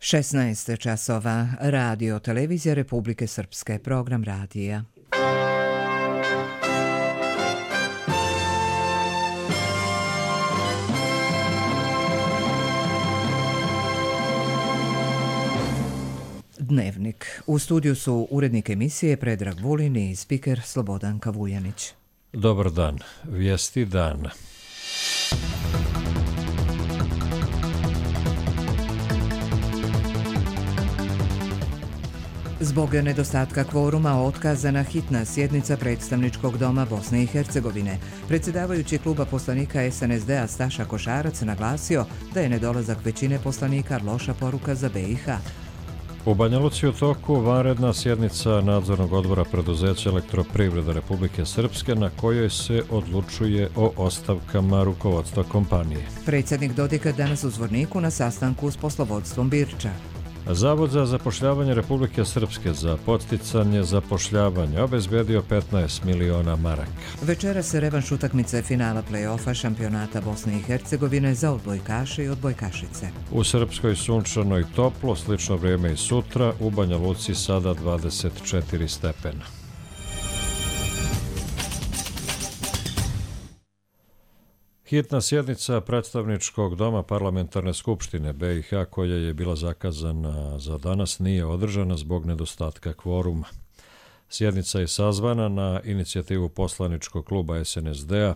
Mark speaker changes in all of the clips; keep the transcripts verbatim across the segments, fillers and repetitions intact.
Speaker 1: šesnaest časova, Radio Televizija Republike Srpske, program radija. Dnevnik. U studiju su urednik emisije Predrag Vulin i spiker Slobodan Kavuljanić.
Speaker 2: Dobar dan. Vijesti dana.
Speaker 1: Zbog nedostatka kvoruma otkazana hitna sjednica predstavničkog doma Bosne i Hercegovine. Predsjedavajući kluba poslanika es en es de a Staša Košarac naglasio da je nedolazak većine poslanika loša poruka za be i ha.
Speaker 2: U Banja Luci u toku vanredna sjednica nadzornog odbora preduzeća Elektroprivreda Republike Srpske na kojoj se odlučuje o ostavkama rukovodstva kompanije.
Speaker 1: Predsjednik Dodika danas u Zvorniku na sastanku s poslovodstvom Birča.
Speaker 2: Zavod za zapošljavanje Republike Srpske za podsticanje zapošljavanja obezbedio petnaest miliona maraka.
Speaker 1: Večera se revanš utakmice finala play-offa šampionata Bosne i Hercegovine za odbojkaše i odbojkašice.
Speaker 2: U Srpskoj sunčano i toplo, slično vrijeme i sutra, u Banja Luci sada dvadeset četiri stepena. Hitna sjednica predstavničkog doma Parlamentarne skupštine be i ha koja je bila zakazana za danas nije održana zbog nedostatka kvoruma. Sjednica je sazvana na inicijativu poslaničkog kluba es en es de a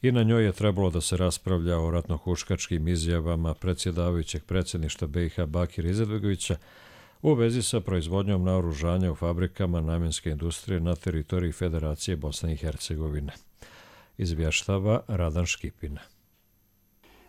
Speaker 2: i na njoj je trebalo da se raspravlja o ratnohuškačkim izjavama predsjedavajućeg predsjedništva be i ha Bakira Izetbegovića u vezi sa proizvodnjom naoružanja u fabrikama namjenske industrije na teritoriji Federacije Bosne i Hercegovine. Izvještava Radan Škipin.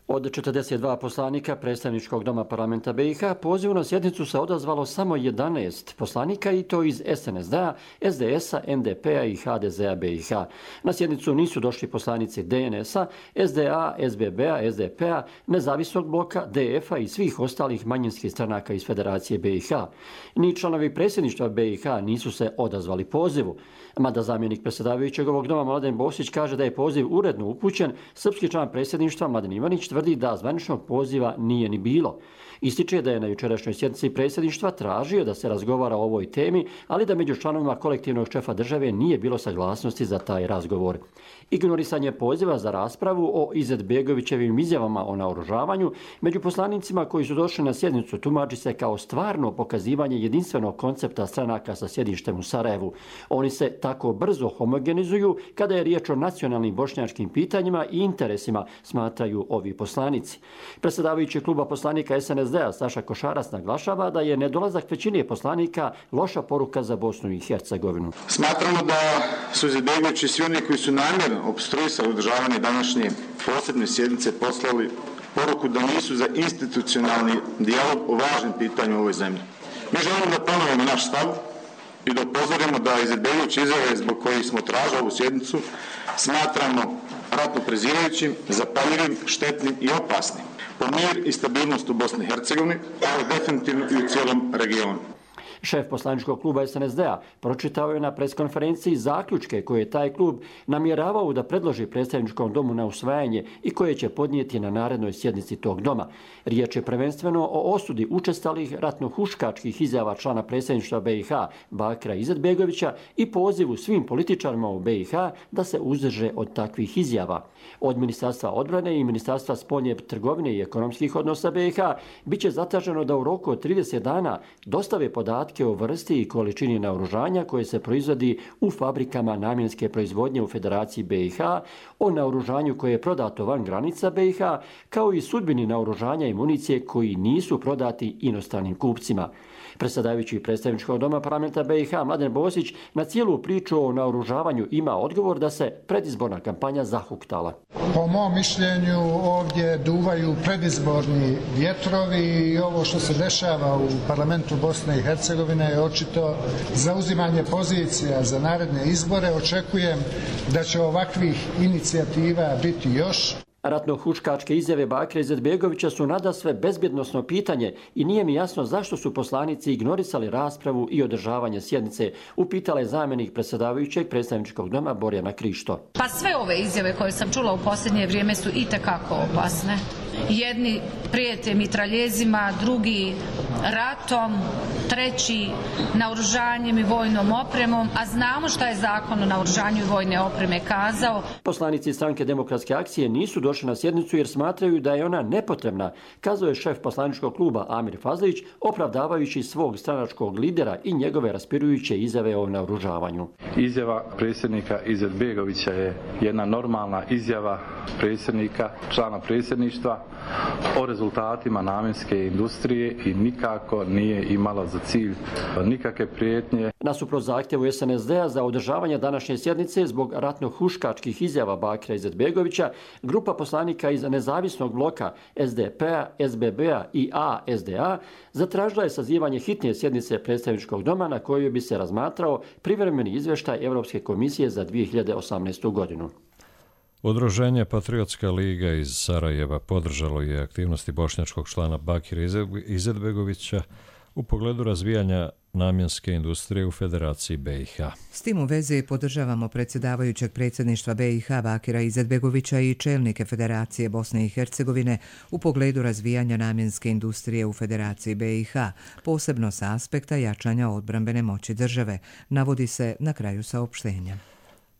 Speaker 3: Od četrdeset dva poslanika predstavničkog doma parlamenta be i ha pozivu na sjednicu se odazvalo samo jedanaest poslanika i to iz es en es de a, es de es a, en de pe a i ha de ze a be i ha. Na sjednicu nisu došli poslanici de en es a, es de a, es be be a, es de pe a, Nezavisnog bloka, de ef a i svih ostalih manjinskih stranaka iz Federacije be i ha. Ni članovi predsjedništva be i ha nisu se odazvali pozivu. Mada zamjenik predsjedavajućeg ovog doma Mladen Bosić kaže da je poziv uredno upućen, srpski član predsjedništva Mladen Ivanić tvrdi da zvaničnog poziva nije ni bilo. Ističe da je na jučerašnjoj sjednici predsjedništva tražio da se razgovara o ovoj temi, ali da među članovima kolektivnog šefa države nije bilo saglasnosti za taj razgovor. Ignorisanje poziva za raspravu o Izetbegovićevim izjavama o naoružavanju među poslanicima koji su došli na sjednicu tumači se kao stvarno pokazivanje jedinstvenog koncepta stranaka sa sjedištem u Sarajevu. Oni se tako brzo homogenizuju kada je riječ o nacionalnim bošnjačkim pitanjima i interesima, smatraju ovi poslanici. Predsjedavajući kluba poslanika es en es de a Staša Košarac naglašava da je nedolazak većine poslanika loša poruka za Bosnu i Hercegovinu.
Speaker 4: Smatramo da su Izetbegović i svi oni koji su namjerno opstruisali održavanje današnje posebne sjednice poslali poruku da nisu za institucionalni dijalog o važnim pitanjima u ovoj zemlji. Mi želimo da ponovimo naš stav i da upozorimo da Izetbegović izjave zbog kojih smo tražili ovu sjednicu smatramo ratno prezirajućim, zapaljivim, štetnim i opasnim po mir i stabilnost u Bosni i Hercegovini, ali definitivno i u cijelom regionu.
Speaker 3: Šef poslaničkog kluba es en es de a pročitao je na preskonferenciji zaključke koje je taj klub namjeravao da predloži predstavničkom domu na usvajanje i koje će podnijeti na narednoj sjednici tog doma. Riječ je prvenstveno o osudi učestalih ratnohuškačkih izjava člana predsjedništva be i ha Bakira Izetbegovića i pozivu svim političarima u be i ha da se uzdrže od takvih izjava. Od Ministarstva odbrane i Ministarstva spoljne trgovine i ekonomskih odnosa be i ha biće zatraženo da u roku od trideset dana dostave podatke o vrsti i količini naoružanja koje se proizvodi u fabrikama namjenske proizvodnje u Federaciji be i ha, o naoružanju koje je prodato van granica be i ha, kao i sudbini naoružanja i municije koji nisu prodati inostranim kupcima. Predsjedavajući predstavničkog doma parlamenta be i ha Mladen Bosić na cijelu priču o naoružavanju ima odgovor da se predizborna kampanja zahuktala.
Speaker 5: Po mom mišljenju ovdje duvaju predizborni vjetrovi i ovo što se dešava u parlamentu Bosne i Hercegovine je očito zauzimanje pozicija za naredne izbore. Očekujem da će ovakvih inicijativa biti još.
Speaker 3: Ratno-huškačke izjave Bakira Izetbegovića su nadasve bezbjednosno pitanje i nije mi jasno zašto su poslanici ignorisali raspravu i održavanje sjednice, upitala je zamjenik predsjedavajućeg predstavničkog doma Borjana Krišto.
Speaker 6: Pa sve ove izjave koje sam čula u posljednje vrijeme su itekako opasne. Jedni prijete mitraljezima, drugi ratom, treći naoružanjem i vojnom opremom, a znamo šta je Zakon o naoružanju i vojne opreme kazao.
Speaker 3: Poslanici Stranke demokratske akcije nisu došli na sjednicu jer smatraju da je ona nepotrebna, kazao je šef poslaničkog kluba Amir Fazlić, opravdavajući svog stranačkog lidera i njegove raspirujuće izjave o naoružavanju.
Speaker 7: Izjava predsjednika Izetbegovića je jedna normalna izjava predsjednika, člana predsjedništva o rezultatima namjenske industrije i nikako nije imala za cilj nikakve prijetnje.
Speaker 3: Nasuprot zahtjevu S N S D-a za održavanje današnje sjednice zbog ratno-huškačkih izjava Bakira Izetbegovića, grupa poslanika iz nezavisnog bloka S D P-a, S B B-a i A S D A zatražila je sazivanje hitne sjednice predstavničkog doma na kojoj bi se razmatrao privremeni izvještaj Europske komisije za dvije hiljade osamnaestu. godinu.
Speaker 2: Udruženje Patriotska liga iz Sarajeva podržalo je aktivnosti bošnjačkog člana Bakira Izetbegovića u pogledu razvijanja namjenske industrije u Federaciji B i H.
Speaker 1: S tim u vezi podržavamo predsjedavajućeg predsjedništva B i H Bakira Izetbegovića i čelnike Federacije Bosne i Hercegovine u pogledu razvijanja namjenske industrije u Federaciji B i H, posebno sa aspekta jačanja odbrambene moći države, navodi se na kraju saopštenja.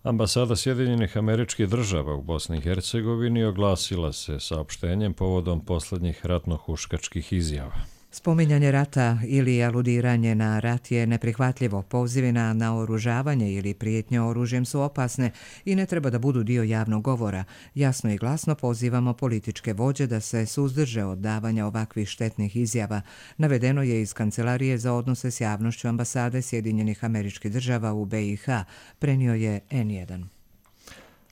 Speaker 2: Ambasada Sjedinjenih Američkih Država u Bosni i Hercegovini oglasila se saopštenjem povodom posljednjih ratno-huškačkih izjava.
Speaker 1: Spominjanje rata ili aludiranje na rat je neprihvatljivo. Pozivi na naoružavanje ili prijetnje oružjem su opasne i ne treba da budu dio javnog govora. Jasno i glasno pozivamo političke vođe da se suzdrže od davanja ovakvih štetnih izjava. Navedeno je iz Kancelarije za odnose s javnošću Ambasade Sjedinjenih Američkih Država u B i H, prenio je N jedan.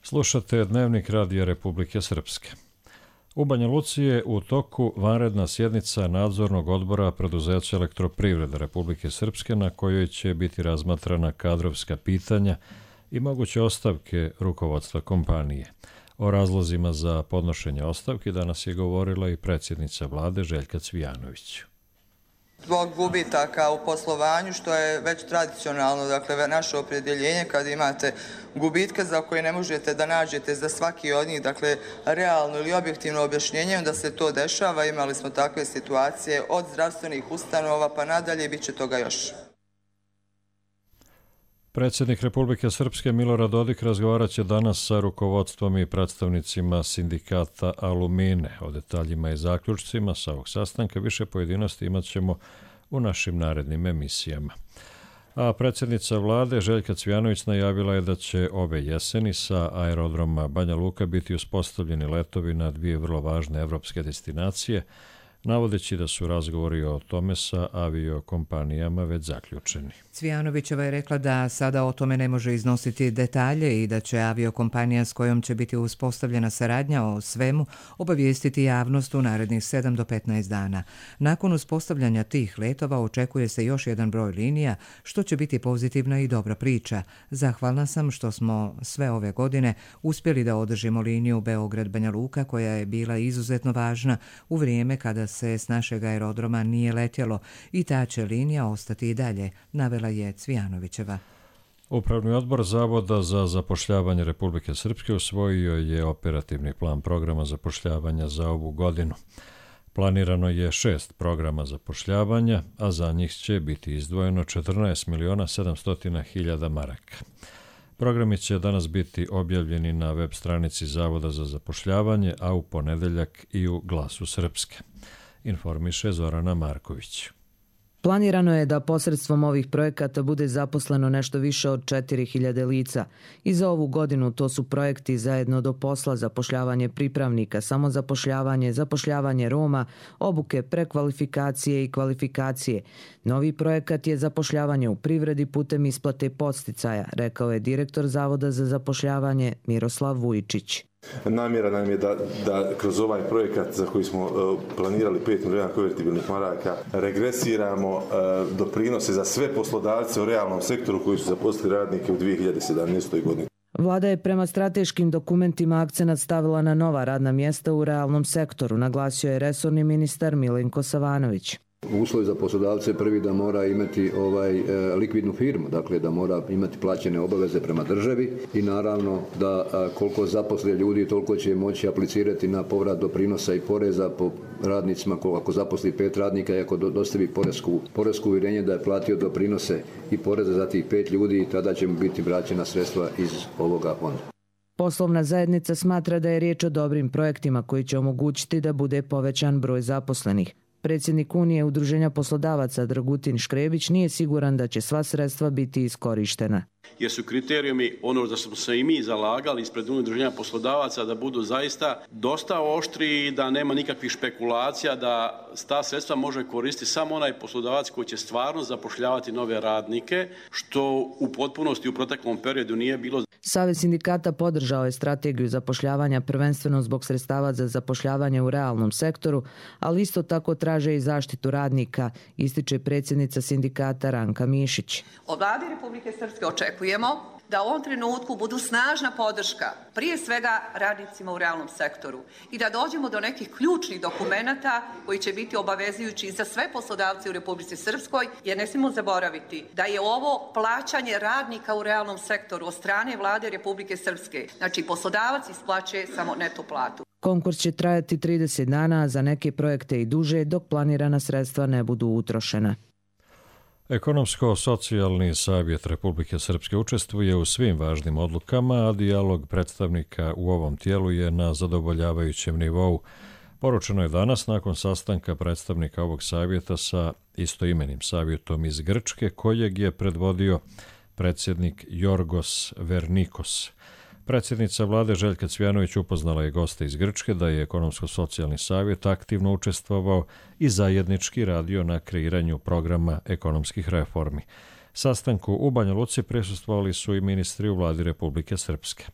Speaker 2: Slušate Dnevnik Radija Republike Srpske. U Banja Luci je u toku vanredna sjednica nadzornog odbora preduzeća Elektroprivrede Republike Srpske na kojoj će biti razmatrana kadrovska pitanja i moguće ostavke rukovodstva kompanije. O razlozima za podnošenje ostavki danas je govorila i predsjednica vlade Željka Cvijanović.
Speaker 8: Zbog gubitaka u poslovanju, što je već tradicionalno, dakle, naše opredjeljenje kad imate gubitke za koje ne možete da nađete za svaki od njih, dakle, realno ili objektivno objašnjenje da se to dešava. Imali smo takve situacije od zdravstvenih ustanova pa nadalje, bit će toga još.
Speaker 2: Predsjednik Republike Srpske Milorad Dodik razgovarat će danas sa rukovodstvom i predstavnicima sindikata Alumine. O detaljima i zaključcima sa ovog sastanka više pojedinosti imat ćemo u našim narednim emisijama. A predsjednica vlade Željka Cvijanović najavila je da će ove jeseni sa aerodroma Banja Luka biti uspostavljeni letovi na dvije vrlo važne evropske destinacije, navodeći da su razgovori o tome sa aviokompanijama već zaključeni.
Speaker 1: Cvijanovićeva je rekla da sada o tome ne može iznositi detalje i da će aviokompanija s kojom će biti uspostavljena saradnja o svemu obavijestiti javnost u narednih sedam do petnaest dana. Nakon uspostavljanja tih letova očekuje se još jedan broj linija, što će biti pozitivna i dobra priča. Zahvalna sam što smo sve ove godine uspjeli da održimo liniju Beograd-Banja Luka, koja je bila izuzetno važna u vrijeme kada se s našeg aerodroma nije letjelo, i ta će linija ostati i dalje, navela je Cvijanovićeva.
Speaker 2: Upravni odbor Zavoda za zapošljavanje Republike Srpske usvojio je operativni plan programa zapošljavanja za ovu godinu. Planirano je šest programa zapošljavanja, a za njih će biti izdvojeno četrnaest miliona sedamsto hiljada maraka. Programi će danas biti objavljeni na web stranici Zavoda za zapošljavanje, a u ponedeljak i u Glasu Srpske, informiše Zorana Marković.
Speaker 9: Planirano je da posredstvom ovih projekata bude zaposleno nešto više od četiri hiljade lica. I za ovu godinu to su projekti Zajedno do posla, zapošljavanje pripravnika, samozapošljavanje, zapošljavanje Roma, obuke, prekvalifikacije i kvalifikacije. Novi projekat je zapošljavanje u privredi putem isplate podsticaja, rekao je direktor Zavoda za zapošljavanje Miroslav Vujičić.
Speaker 10: Namjera nam je da, da kroz ovaj projekat za koji smo uh, planirali pet miliona konvertibilnih maraka regresiramo uh, doprinose za sve poslodavce u realnom sektoru koji su zaposlili radnike u dvije hiljade sedamnaestoj. godini.
Speaker 9: Vlada je prema strateškim dokumentima akcenat stavila na nova radna mjesta u realnom sektoru, naglasio je resorni ministar Milenko Savanović.
Speaker 11: uslov za poslodavce prvi da mora imati ovaj likvidnu firmu, dakle da mora imati plaćene obaveze prema državi i naravno da koliko zaposle ljudi toliko će moći aplicirati na povrat doprinosa i poreza po radnicima. Ako zaposli pet radnika i ako dostavi poresku, poresku uvjerenje da je platio doprinose i poreze za tih pet ljudi, tada će mu biti vraćena sredstva iz ovoga fonda.
Speaker 9: Poslovna zajednica smatra da je riječ o dobrim projektima koji će omogućiti da bude povećan broj zaposlenih. Predsjednik Unije Udruženja poslodavaca Dragutin Škrebić nije siguran da će sva sredstva biti iskorištena.
Speaker 12: Jer su kriterijumi, ono da smo se i mi zalagali ispred Udruženja poslodavaca, da budu zaista dosta oštri i da nema nikakvih špekulacija, da ta sredstva može koristiti samo onaj poslodavac koji će stvarno zapošljavati nove radnike, što u potpunosti u proteklom periodu nije bilo.
Speaker 9: Savez sindikata podržao je strategiju zapošljavanja prvenstveno zbog sredstava za zapošljavanje u realnom sektoru, ali isto tako traže i zaštitu radnika, ističe predsjednica sindikata Ranka Mišić.
Speaker 13: Od Vlade Republike Srpske očekujemo da u ovom trenutku budu snažna podrška prije svega radnicima u realnom sektoru i da dođemo do nekih ključnih dokumenata koji će biti obavezujući za sve poslodavce u Republici Srpskoj, jer ne smijemo zaboraviti da je ovo plaćanje radnika u realnom sektoru od strane Vlade Republike Srpske. Znači poslodavac isplaćuje samo neto platu.
Speaker 9: Konkurs će trajati trideset dana, a za neke projekte i duže dok planirana sredstva ne budu utrošena.
Speaker 2: Ekonomsko-socijalni savjet Republike Srpske učestvuje u svim važnim odlukama, a dijalog predstavnika u ovom tijelu je na zadovoljavajućem nivou. Poručeno je danas nakon sastanka predstavnika ovog savjeta sa istoimenim savjetom iz Grčke, kojeg je predvodio predsjednik Jorgos Vernikos. Predsjednica vlade Željka Cvijanović upoznala je goste iz Grčke da je Ekonomsko-socijalni savjet aktivno učestvovao i zajednički radio na kreiranju programa ekonomskih reformi. Sastanku u Banja Luci prisustvovali su i ministri u vladi Republike Srpske.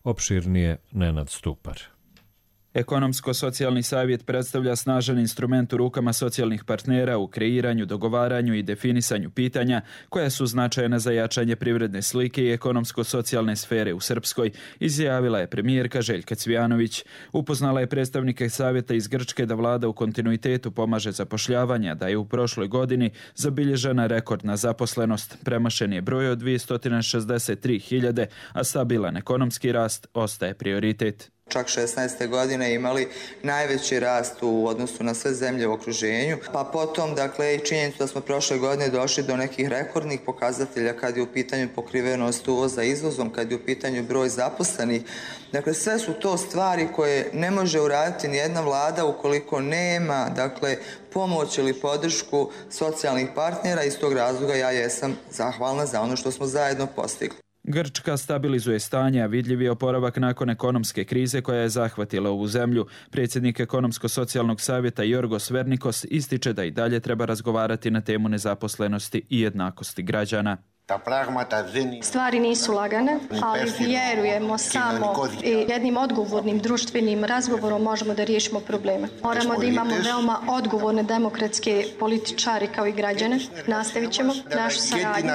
Speaker 2: Opširnije Nenad Stupar.
Speaker 14: Ekonomsko-socijalni savjet predstavlja snažan instrument u rukama socijalnih partnera u kreiranju, dogovaranju i definisanju pitanja koja su značajna za jačanje privredne slike i ekonomsko-socijalne sfere u Srpskoj, izjavila je premijerka Željka Cvijanović. Upoznala je predstavnike savjeta iz Grčke da vlada u kontinuitetu pomaže zapošljavanja, da je u prošloj godini zabilježena rekordna zaposlenost. Premašen je broj od dvjesto šezdeset tri hiljade, a stabilan ekonomski rast ostaje prioritet.
Speaker 8: Čak šesnaeste godine imali najveći rast u odnosu na sve zemlje u okruženju, pa potom dakle i činjenicu da smo prošle godine došli do nekih rekordnih pokazatelja kad je u pitanju pokrivenost uvoza izvozom, kad je u pitanju broj zaposlenih. Dakle, sve su to stvari koje ne može uraditi ni jedna vlada ukoliko nema dakle pomoć ili podršku socijalnih partnera. Iz tog razloga ja jesam zahvalna za ono što smo zajedno postigli.
Speaker 14: Grčka stabilizuje stanje, a vidljiv je oporavak nakon ekonomske krize koja je zahvatila ovu zemlju. Predsjednik Ekonomsko-socijalnog savjeta Jorgos Vernikos ističe da i dalje treba razgovarati na temu nezaposlenosti i jednakosti građana.
Speaker 15: Stvari nisu lagane, ali vjerujemo samo i jednim odgovornim društvenim razgovorom možemo da riješimo probleme. Moramo da imamo veoma odgovorne demokratske političari kao i građane. Nastavit ćemo našu saradnju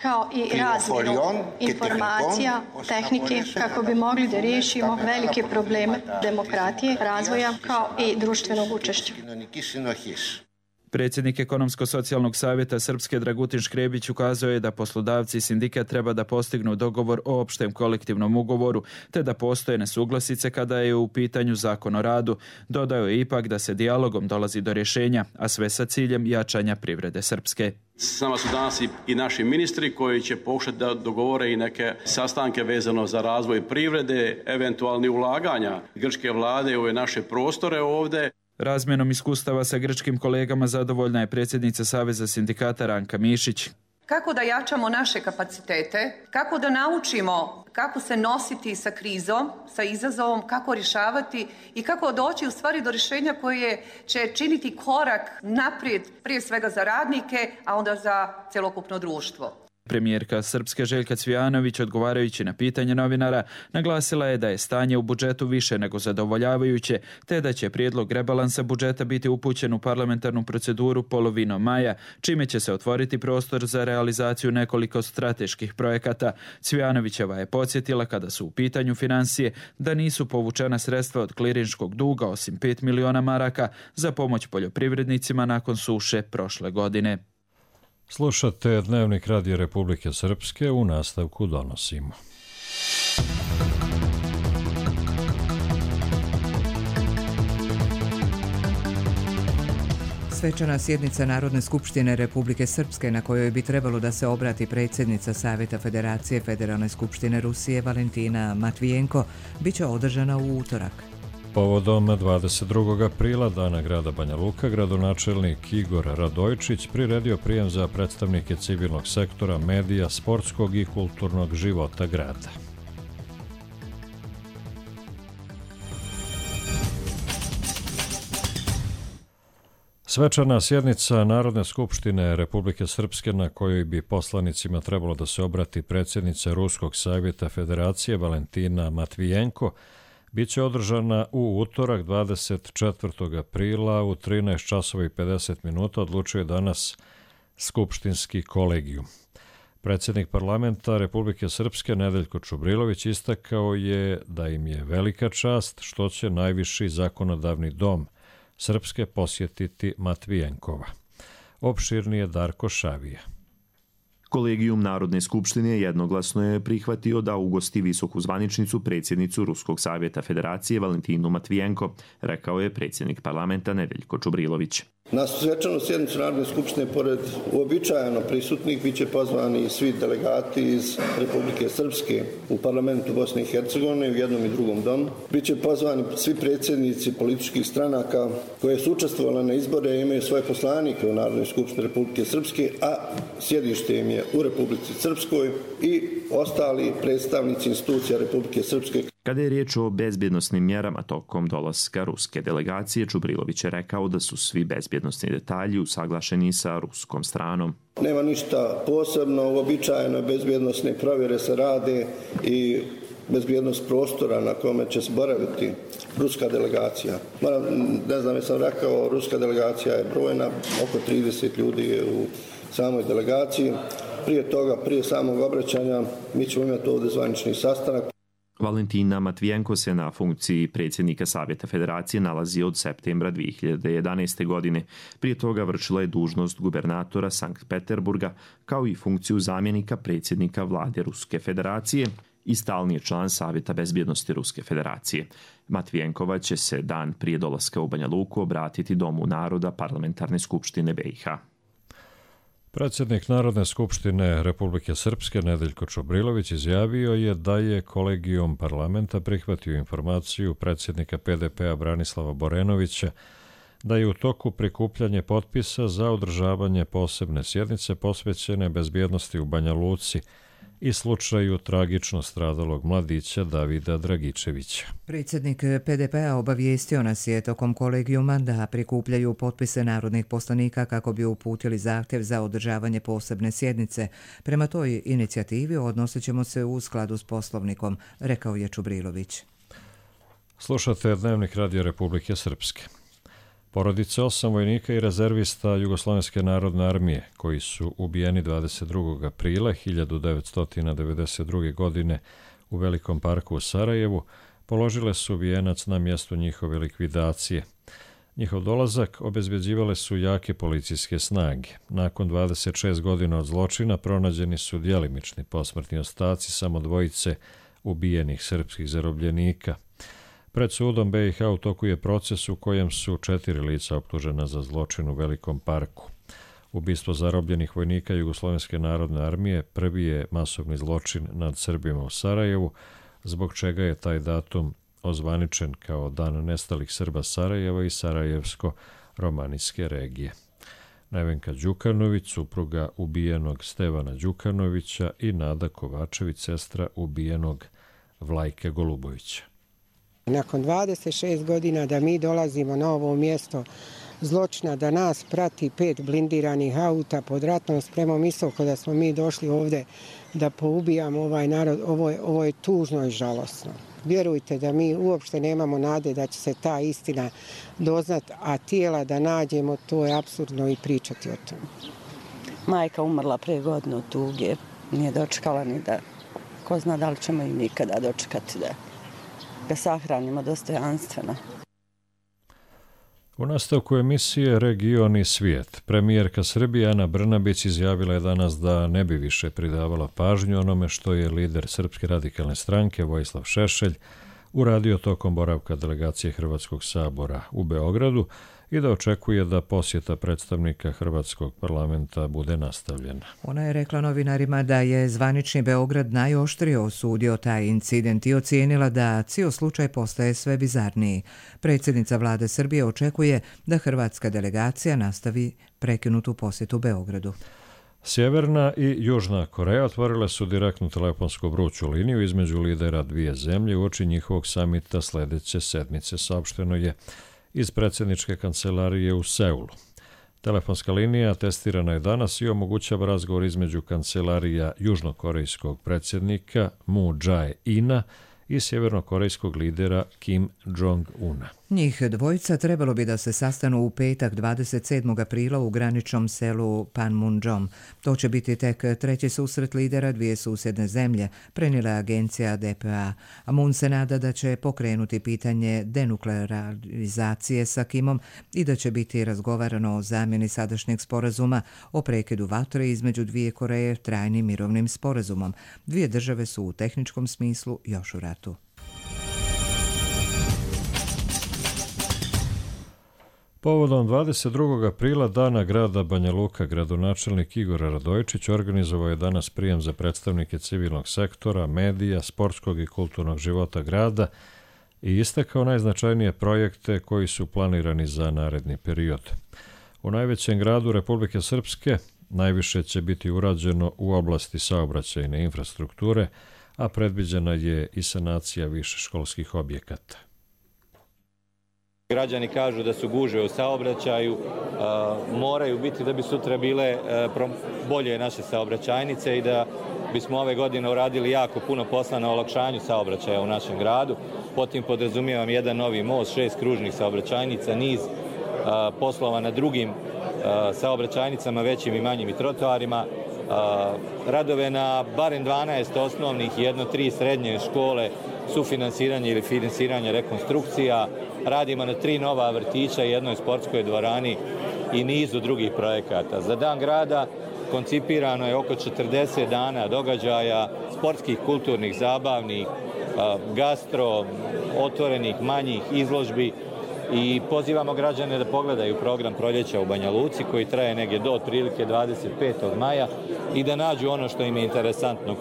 Speaker 15: kao i razmjenu informacija, tehnike, kako bi mogli da riješimo velike probleme demokratije, razvoja kao i društvenog učešća.
Speaker 14: Predsjednik Ekonomsko-socijalnog savjeta Srpske Dragutin Škrebić ukazao je da poslodavci i sindikat treba da postignu dogovor o opštem kolektivnom ugovoru, te da postoje nesuglasice kada je u pitanju zakon o radu. Dodao je ipak da se dijalogom dolazi do rješenja, a sve sa ciljem jačanja privrede Srpske.
Speaker 12: S nama su danas i naši ministri koji će pokušati da dogovore i neke sastanke vezano za razvoj privrede, eventualni ulaganja grčke vlade u ove naše prostore ovdje.
Speaker 14: Razmjenom iskustava sa grčkim kolegama zadovoljna je predsjednica Saveza sindikata Ranka Mišić.
Speaker 13: Kako da jačamo naše kapacitete, kako da naučimo kako se nositi sa krizom, sa izazovom, kako rješavati i kako doći u stvari do rješenja koje će činiti korak naprijed prije svega za radnike, a onda za cjelokupno društvo.
Speaker 14: Premijerka Srpske Željka Cvijanović, odgovarajući na pitanje novinara, naglasila je da je stanje u budžetu više nego zadovoljavajuće, te da će prijedlog rebalansa budžeta biti upućen u parlamentarnu proceduru polovinom maja, čime će se otvoriti prostor za realizaciju nekoliko strateških projekata. Cvijanovićeva je podsjetila, kada su u pitanju finansije, da nisu povučena sredstva od klirinškog duga osim pet miliona maraka za pomoć poljoprivrednicima nakon suše prošle godine.
Speaker 2: Slušate Dnevnik Radija Republike Srpske, u nastavku donosimo.
Speaker 1: Svečana sjednica Narodne skupštine Republike Srpske, na kojoj bi trebalo da se obrati predsjednica Savjeta Federacije Federalne skupštine Rusije Valentina Matvijenko, bit će održana u utorak.
Speaker 2: Povodom dvadeset drugog aprila, dana grada Banja Luka, gradonačelnik Igor Radojčić priredio prijem za predstavnike civilnog sektora, medija, sportskog i kulturnog života grada. Svečana sjednica Narodne skupštine Republike Srpske, na kojoj bi poslanicima trebalo da se obrati predsjednica Ruskog savjeta Federacije Valentina Matvijenko, biće održana u utorak dvadeset četvrtog aprila u trinaest časova i pedeset minuta, odlučuje danas skupštinski kolegijum. Predsjednik parlamenta Republike Srpske Nedeljko Čubrilović istakao je da im je velika čast što će najviši zakonodavni dom Srpske posjetiti Matvijenkova. Opširnije Darko Šavija.
Speaker 16: Kolegijum Narodne skupštine jednoglasno je prihvatio da ugosti visoku zvaničnicu predsjednicu Ruskog savjeta Federacije Valentinu Matvijenko, rekao je predsjednik parlamenta Nedeljko Čubrilović.
Speaker 17: Na svečanu sjednicu Narodne skupštine, pored uobičajeno prisutnih, bit će pozvani svi delegati iz Republike Srpske u parlamentu Bosne i Hercegovine u jednom i drugom domu. Biće pozvani svi predsjednici političkih stranaka koje su učestvovali na izbore i imaju svoje poslanike u Narodnoj skupštini Republike Srpske, a sjedište im je u Republici Srpskoj, i ostali predstavnici institucija Republike Srpske.
Speaker 16: Kada je riječ o bezbjednosnim mjerama tokom dolaska ruske delegacije, Čubrilović je rekao da su svi bezbjednosni detalji usaglašeni sa ruskom stranom.
Speaker 17: Nema ništa posebno, uobičajeno bezbjednosne provjere se rade i bezbjednost prostora na kome će se boraviti ruska delegacija. Moram, ne znam, jesam rekao, ruska delegacija je brojna, oko trideset ljudi je u samoj delegaciji. Prije toga, prije samog obraćanja, mi ćemo imati ovdje zvanični sastanak.
Speaker 16: Valentina Matvijenko se na funkciji predsjednika Savjeta Federacije nalazi od septembra dvije hiljade jedanaeste. godine. Prije toga vršila je dužnost gubernatora Sankt Peterburga, kao i funkciju zamjenika predsjednika vlade Ruske Federacije i stalni je član Savjeta bezbjednosti Ruske Federacije. Matvijenkova će se dan prije dolaska u Banja Luku obratiti Domu naroda Parlamentarne skupštine B i H.
Speaker 2: Predsjednik Narodne skupštine Republike Srpske Nedeljko Čubrilović izjavio je da je kolegijum parlamenta prihvatio informaciju predsjednika P D P-a Branislava Borenovića da je u toku prikupljanje potpisa za održavanje posebne sjednice posvećene bezbjednosti u Banja Luci i slučaju tragično stradalog mladića Davida Dragičevića.
Speaker 1: Predsjednik P D P-a obavijestio nas je tokom kolegijuma da prikupljaju potpise narodnih poslanika kako bi uputili zahtjev za održavanje posebne sjednice. Prema toj inicijativi odnosit ćemo se u skladu s poslovnikom, rekao je Čubrilović.
Speaker 2: Slušate Dnevnik Radija Republike Srpske. Porodice osam vojnika i rezervista Jugoslovenske narodne armije, koji su ubijeni dvadeset drugog aprila hiljadu devetsto devedeset druge. godine u Velikom parku u Sarajevu, položile su vijenac na mjestu njihove likvidacije. Njihov dolazak obezbeđivale su jake policijske snage. Nakon dvadeset šest godina od zločina pronađeni su djelimični posmrtni ostaci samo dvojice ubijenih srpskih zarobljenika. Pred sudom B i H u toku je proces u kojem su četiri lica optužena za zločin u Velikom parku. Ubistvo zarobljenih vojnika Jugoslovenske narodne armije prvi je masovni zločin nad Srbima u Sarajevu, zbog čega je taj datum ozvaničen kao Dan nestalih Srba Sarajeva i Sarajevsko-romanijske regije. Nevenka Đukanović, supruga ubijenog Stevana Đukanovića, i Nada Kovačević, sestra ubijenog Vlajka Golubovića.
Speaker 18: Nakon dvadeset šest godina da mi dolazimo na ovo mjesto zločina da nas prati pet blindiranih auta pod ratnom spremom, isto kada smo mi došli ovdje da poubijamo ovaj narod. Ovo je, ovo je tužno i žalosno. Vjerujte da mi uopšte nemamo nade da će se ta istina doznat, a tijela da nađemo, to je apsurdno i pričati o tom.
Speaker 19: Majka umrla pre godinu od tuge, nije dočekala ni da, ko zna da li ćemo i nikada dočekati da ga sahranimo dostojanstveno.
Speaker 2: U nastavku emisije Region i svijet, premijerka Srbije Ana Brnabić izjavila je danas da ne bi više pridavala pažnju onome što je lider Srpske radikalne stranke Vojislav Šešelj uradio tokom boravka delegacije Hrvatskog sabora u Beogradu i da očekuje da posjeta predstavnika Hrvatskog parlamenta bude nastavljena.
Speaker 1: Ona je rekla novinarima da je zvanični Beograd najoštrije osudio taj incident i ocijenila da cijel slučaj postaje sve bizarniji. Predsjednica vlade Srbije očekuje da hrvatska delegacija nastavi prekinutu posjetu Beogradu.
Speaker 2: Sjeverna i Južna Koreja otvorile su direktnu telefonsku vruću liniju između lidera dvije zemlje uoči njihovog samita sljedeće sedmice, saopšteno je iz predsjedničke kancelarije u Seulu. Telefonska linija testirana je danas i omogućava razgovor između kancelarija južnokorejskog predsjednika Moon Jae-ina i sjevernokorejskog lidera Kim Jong-una.
Speaker 1: Njih dvojica trebalo bi da se sastanu u petak dvadeset sedmog aprila u graničnom selu Panmunjom. To će biti tek treći susret lidera dvije susjedne zemlje, prenijela agencija D P A. A Moon se nada da će pokrenuti pitanje denuklearizacije sa Kimom i da će biti razgovarano o zamjeni sadašnjeg sporazuma o prekidu vatre između dvije Koreje trajnim mirovnim sporazumom. Dvije države su u tehničkom smislu još u ratu.
Speaker 2: Povodom dvadeset drugog aprila, dana grada Banja Luka, gradonačelnik Igor Radojičić organizovao je danas prijem za predstavnike civilnog sektora, medija, sportskog i kulturnog života grada i istakao najznačajnije projekte koji su planirani za naredni period. U najvećem gradu Republike Srpske najviše će biti urađeno u oblasti saobraćajne infrastrukture, a predviđena je i sanacija višeškolskih objekata.
Speaker 20: Građani kažu da su gužve u saobraćaju, moraju biti da bi sutra bile bolje naše saobraćajnice i da bismo ove godine uradili jako puno posla na olakšanju saobraćaja u našem gradu. Potim podrazumijevam jedan novi most, šest kružnih saobraćajnica, niz poslova na drugim saobraćajnicama, većim i manjim i trotoarima, radove na barem dvanaest osnovnih i jedno tri srednje škole, sufinansiranje ili finansiranje rekonstrukcija, radimo na tri nova vrtića, jednoj sportskoj dvorani i nizu drugih projekata. Za dan grada koncipirano je oko četrdeset dana događaja, sportskih, kulturnih, zabavnih, gastro, otvorenih, manjih izložbi i pozivamo građane da pogledaju program Proljeća u Banja Luci koji traje negdje do otprilike dvadeset petog maja i da nađu ono što im je interesantno.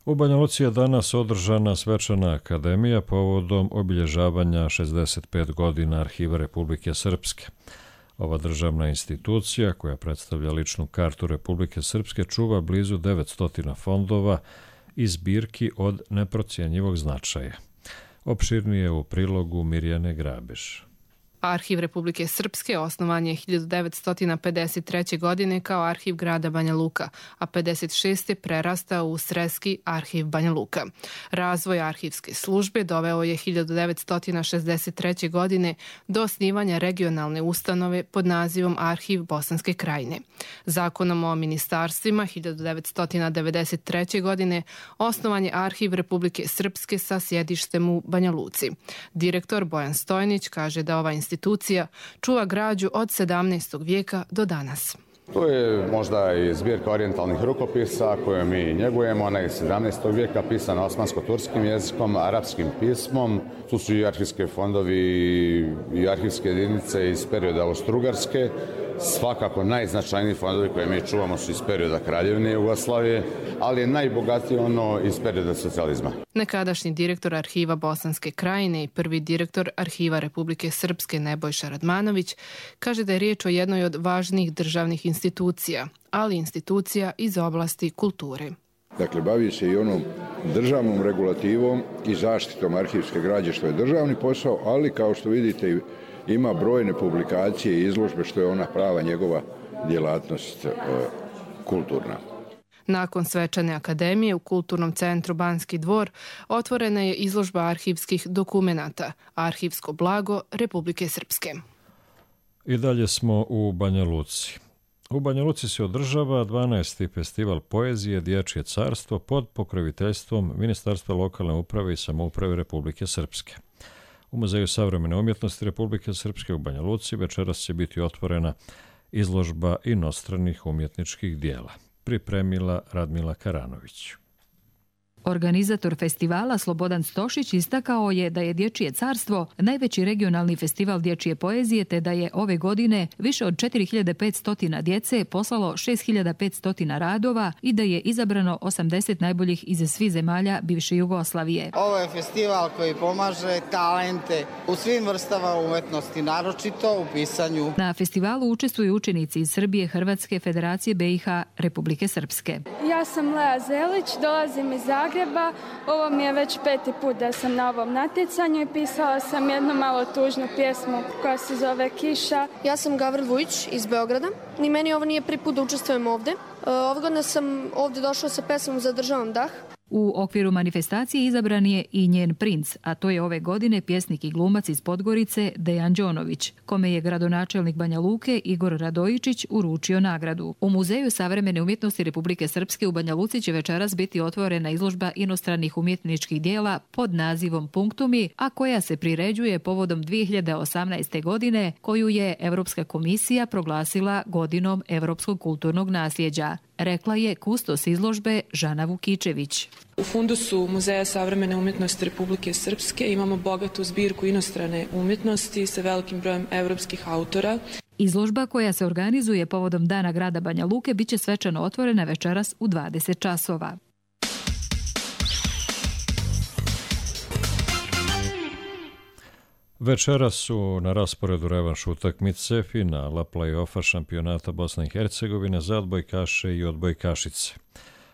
Speaker 2: U Banja Luci je danas održana svečana akademija povodom obilježavanja šezdeset pet godina Arhiva Republike Srpske. Ova državna institucija, koja predstavlja ličnu kartu Republike Srpske, čuva blizu devetsto fondova i zbirki od neprocjenjivog značaja. Opširnije u prilogu Mirjane Grabeš.
Speaker 21: Arhiv Republike Srpske osnovan je hiljadu devetsto pedeset treće. godine kao arhiv grada Banja Luka, a pedeset šeste. prerastao u Sreski arhiv Banja Luka. Razvoj arhivske službe doveo je hiljadu devetsto šezdeset treće. godine do osnivanja regionalne ustanove pod nazivom Arhiv Bosanske Krajine. Zakonom o ministarstvima hiljadu devetsto devedeset treće. godine osnovan je Arhiv Republike Srpske sa sjedištem u Banja Luci. Direktor Bojan Stojnić kaže da ova institucija čuva građu od sedamnaestog vijeka do danas.
Speaker 22: To je možda i zbirka orijentalnih rukopisa koje mi njegujemo. Ona je sedamnaestog vijeka pisana osmansko-turskim jezikom, arapskim pismom. Tu su i arhivske fondovi i arhivske jedinice iz perioda Austro-Ugarske. Svakako najznačajniji fondovi koje mi čuvamo su iz perioda Kraljevine Jugoslavije, ali je najbogatiji ono iz perioda socijalizma.
Speaker 21: Nekadašnji direktor Arhiva Bosanske Krajine i prvi direktor Arhiva Republike Srpske Nebojša Radmanović kaže da je riječ o jednoj od važnijih državnih institucija, ali institucija iz oblasti kulture.
Speaker 4: Dakle, bavi se i onom državnom regulativom i zaštitom arhivske građe, što je državni posao, ali kao što vidite ima brojne publikacije i izložbe, što je ona prava njegova djelatnost e, kulturna.
Speaker 21: Nakon svečane akademije u Kulturnom centru Banski dvor otvorena je izložba arhivskih dokumenata Arhivsko blago Republike Srpske.
Speaker 2: I dalje smo u Banja Luci. U Banja Luci se održava dvanaesti festival poezije Dječje carstvo pod pokroviteljstvom Ministarstva lokalne uprave i samouprave Republike Srpske. U Muzeju savremene umjetnosti Republike Srpske u Banja Luci večeras će biti otvorena izložba inostranih umjetničkih dijela. Pripremila Radmila Karanović.
Speaker 5: Organizator festivala Slobodan Stošić istakao je da je Dječje carstvo najveći regionalni festival dječje poezije te da je ove godine više od četiri hiljade petsto djece poslalo šest hiljada petsto radova i da je izabrano osamdeset najboljih iz svih zemalja bivše Jugoslavije.
Speaker 23: Ovo je festival koji pomaže talente u svim vrstama umetnosti, naročito u pisanju.
Speaker 5: Na festivalu učestvuju učenici iz Srbije, Hrvatske, Federacije B i H, Republike Srpske.
Speaker 24: Ja sam Lea Zelić, dolazim iz Zagreba. Ovo mi je već peti put da sam na ovom natjecanju i pisala sam jednu malo tužnu pjesmu koja se zove Kiša.
Speaker 25: Ja sam Gavril Vujić iz Beograda i meni ovo nije prvi put da učestvujem ovde. Ove godine sam ovde došla sa pesmom Zadržavam dah.
Speaker 5: U okviru manifestacije izabran je i njen princ, a to je ove godine pjesnik i glumac iz Podgorice Dejan Đonović, kome je gradonačelnik Banja Luke Igor Radojičić uručio nagradu. U Muzeju savremene umjetnosti Republike Srpske u Banja Luci će večeras biti otvorena izložba inostranih umjetničkih dijela pod nazivom Punktumi, a koja se priređuje povodom dvije hiljade osamnaeste. godine, koju je Europska komisija proglasila godinom Europskog kulturnog nasljeđa, rekla je kustos izložbe Žana Vukičević.
Speaker 26: U fundusu Muzeja savremene umjetnosti Republike Srpske imamo bogatu zbirku inostrane umjetnosti sa velikim brojem evropskih autora.
Speaker 5: Izložba koja se organizuje povodom Dana grada Banja Luke biće svečano otvorena večeras u dvadeset časova.
Speaker 2: Večeras su na rasporedu revanš utakmice finala play-offa šampionata Bosne i Hercegovine za odbojkaše i odbojkašice.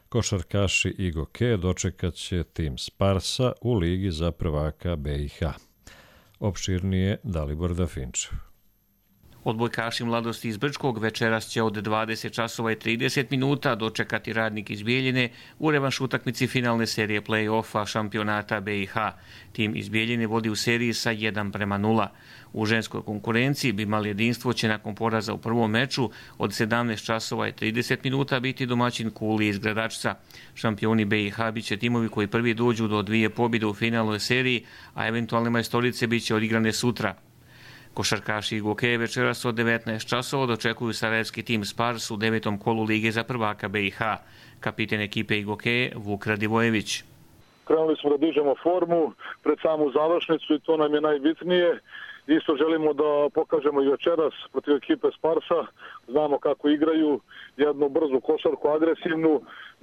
Speaker 2: Košarkaši i Goke dočekat će tim Sparsa u ligi za prvaka B i H. Opširnije Dalibor Dafinčev.
Speaker 27: Odbojkaši mladosti iz Brčkog večeras će od dvadeset časova i trideset minuta dočekati Radnik iz Bijeljine u revanš utakmici finalne serije play-offa šampionata B i H. Tim iz Bijeljine vodi u seriji sa jedan prema nula. U ženskoj konkurenciji Bimal jedinstvo će nakon poraza u prvom meču od sedamnaest časova i trideset minuta biti domaćin Kuli iz Gradačca. Šampioni B i H bit će timovi koji prvi dođu do dvije pobjede u finalnoj seriji, a eventualne majstorice bit će odigrane sutra. Košarkaši i Goke večeras od devetnaest časova dočekuju sarajevski tim Spars u devetom kolu Lige za prvaka B i H. Kapiten ekipe i Goke Vuk Radivojević.
Speaker 28: Krenuli smo da dižemo formu pred samu završnicu i to nam je najbitnije. Isto želimo da pokažemo i večeras protiv ekipe Sparsa. Znamo kako igraju, jednu brzu košarku, agresivnu.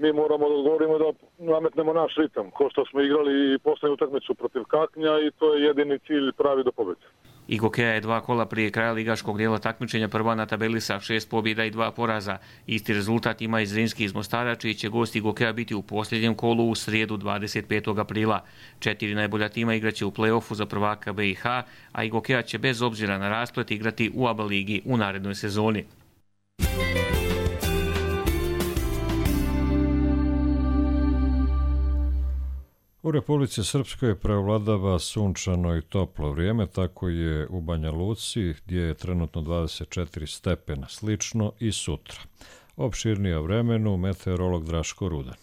Speaker 28: Mi moramo da odgovorimo da nametnemo naš ritam, ko što smo igrali i poslednju utakmicu protiv Kaknja i to je jedini cilj pravi do pobjede.
Speaker 27: Igokea je dva kola prije kraja ligaškog dijela takmičenja prva na tabeli sa šest pobjeda i dva poraza. Isti rezultat ima i Zrinski iz Mostara, čiji će gost Igokea biti u posljednjem kolu u srijedu dvadeset petog aprila. Četiri najbolja tima igraće u play-offu za prvaka B i H, a Igokea će bez obzira na rasplet igrati u A B A ligi u narednoj sezoni.
Speaker 2: U Republici Srpskoj prevladava sunčano i toplo vrijeme, tako je u Banja Luci gdje je trenutno dvadeset četiri stepena, slično i sutra. Opširnije o vremenu meteorolog Draško Rudan.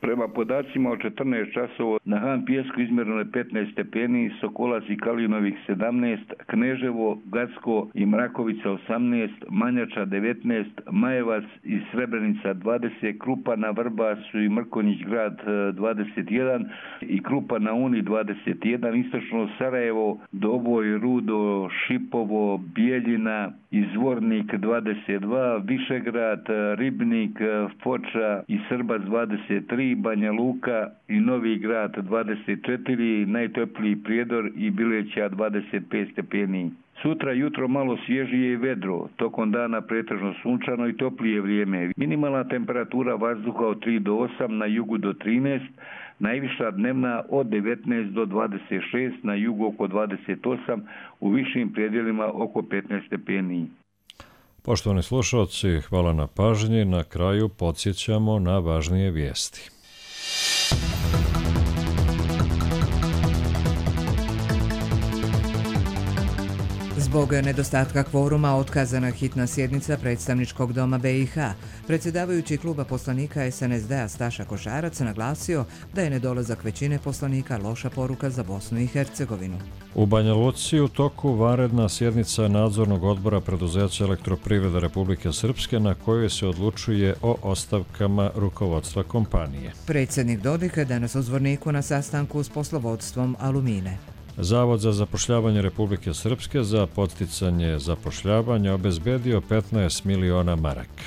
Speaker 29: Prema podacima od četrnaest časova na Han Pijesku izmjereno je petnaest stepeni, Sokolac i Kalinovih sedamnaest, Kneževo, Gacko i Mrakovica osamnaest, Manjača devetnaest, Majevac i Srebrenica dvadeset, Krupa na Vrbasu i Mrkonjić grad dvadeset jedan i Krupa na Uni dvadeset jedan, istočno Sarajevo, Doboj, Rudo, Šipovo, Bijeljina i Zvornik dvadeset dva, Višegrad, Ribnik, Foča i Srbac dvadeset tri, tri, Banja Luka i Novi Grad dvadeset četiri, najtopliji Prijedor i Bileća dvadeset pet stepeni. Sutra jutro malo svježije i vedro, tokom dana pretežno sunčano i toplije vrijeme. Minimalna temperatura vazduha od tri do osam, na jugu do trinaest, najviša dnevna od devetnaest do dvadeset šest, na jugu oko dvadeset osam, u višim predjelima oko petnaest stepeni.
Speaker 2: Poštovani slušalci, hvala na pažnji. Na kraju podsjećamo na važnije vijesti.
Speaker 1: Zbog nedostatka kvoruma otkazana hitna sjednica predstavničkog doma B i H. Predsjedavajući kluba poslanika S N S D-a Staša Košarac naglasio da je nedolazak većine poslanika loša poruka za Bosnu i Hercegovinu.
Speaker 2: U Banja Luci u toku vanredna sjednica nadzornog odbora preduzeća Elektroprivrede Republike Srpske na kojoj se odlučuje o ostavkama rukovodstva kompanije.
Speaker 1: Predsjednik Dodik je danas u Zvorniku na sastanku s poslovodstvom Alumine.
Speaker 2: Zavod za zapošljavanje Republike Srpske za podsticanje zapošljavanja obezbedio petnaest miliona maraka.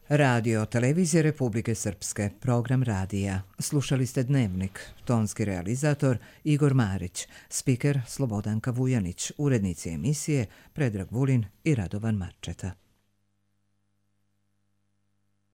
Speaker 1: Radio televizije Republike Srpske, program radija. Slušali ste Dnevnik, tonski realizator Igor Marić, spiker Slobodanka Vujanić, urednici emisije Predrag Vulin i Radovan Marčeta.